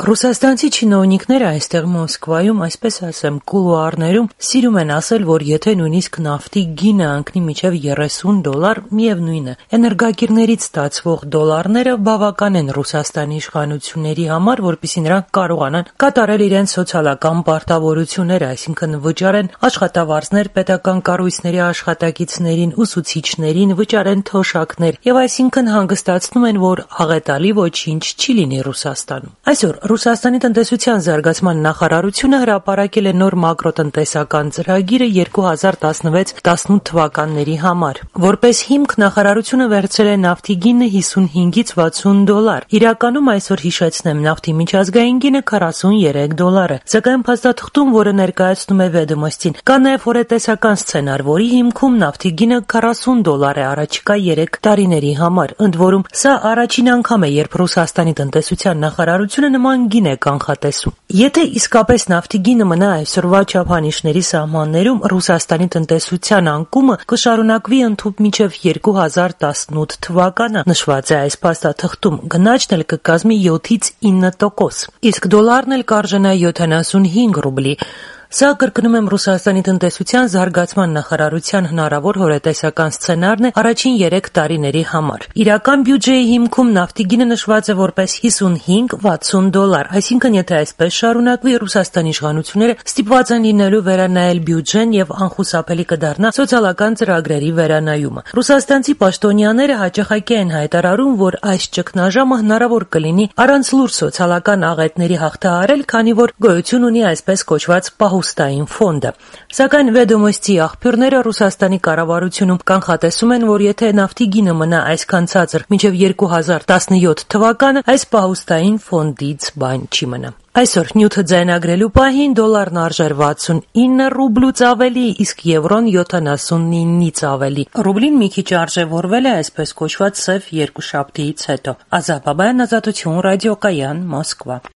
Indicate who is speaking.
Speaker 1: Ռուսաստանցի չինովնիկները այստեղ Մոսկվայում, այսպես ասեմ, կուլուարներում սիրում են ասել, որ եթե նույնիսկ նավթի գինը անկնի մինչև $30, միևնույն է, էներգակիրներից ստացվող դոլարները բավական են Ռուսաստանի իշխանությունների համար, որպեսզի նրանք կարողանան կատարել իրենց սոցիալական պարտավորությունները, այսինքն վճարեն աշխատավարձներ պետական կառույցների աշխատակիցներին, ուսուցիչներին, վճարեն թոշակներ եւ այսինքն հանգստացնում են, որ աղետալի ոչինչ չի լինի Ռուսաստանում։ Այսօր Ռուսաստանի տնտեսության զարգացման նախարարությունը հրապարակել է նոր մակրոտնտեսական ծրագիրը 2016-18 թվականների համար։ Որպես հիմք նախարարությունը վերցրել է նավթի գինը $55-ից $60։ Իրականում այսօր հիշեցնեմ, նավթի միջազգային գինը $43 է։ Սակայն փաստաթղթում, որը ներկայացնում է Վեդոմոստին, կա նաև հորետեսական սցենար, որի հիմքում նավթի գինը $40 է առաջիկա 3 տարիների համար։ Ընդ որում, սա առաջին անգամ է, երբ Ռուսաստանի տնտեսության նախարարությունը նման գին է կանխատեսում։ Եթե իսկապես նավթի գինը մնա այսօրվա չափանիշների սահմաններում, Ռուսաստանի տնտեսության անկումը կշարունակվի ընդհուպ մինչև 2018 թվականը, նշված է այս փաստաթղթում, գնաճն էլ կկազմի 7-ից 9%, իսկ դոլարն էլ կարժենա 75 ռուբլի։ Սա, կրկնում եմ, Ռուսաստանի տնտեսության զարգացման նախարարության հնարավոր հորետեսական սցենարն է առաջին 3 տարիների համար։ Իրական բյուջեի հիմքում նավթի գինը նշված է որպես $55-60, այսինքն եթե այսպես շարունակվի, Ռուսաստանի իշխանությունները ստիպված են լինելու վերանայել բյուջեն եւ անխուսափելի կդառնա սոցիալական ծրագրերի վերանայումը։ Ռուսաստանցի պաշտոնյաները հաճախակի են հայտարարում, որ այս ճգնաժամը հնարավոր կլինի առանց լուրջ սոցիալական աղետների հաղթահարել, քանի որ գոյություն ունի այսպես կոչված պահուստային ֆոնդը։ Սակայն Վեդոմոստի աղբյուրները Ռուսաստանի կառավարությունում կանխատեսում են, որ եթե նավթի գինը մնա այսքան ցածր մինչև 2017 թվականը, այս պահուստային ֆոնդից բան չի մնա։ Այսօր նյութը ձայնագրելու պահին դոլարն արժեր 69 ռուբլուց ավելի, իսկ եվրոն 79-ից ավելի։ Ռուբլին մի քիչ արժևորվել է այսպես կոչված սև երկուշաբթիից հետո։ Ազատ Բաբայան, Ազատություն, Ռադիոկայան, Մոսկվա։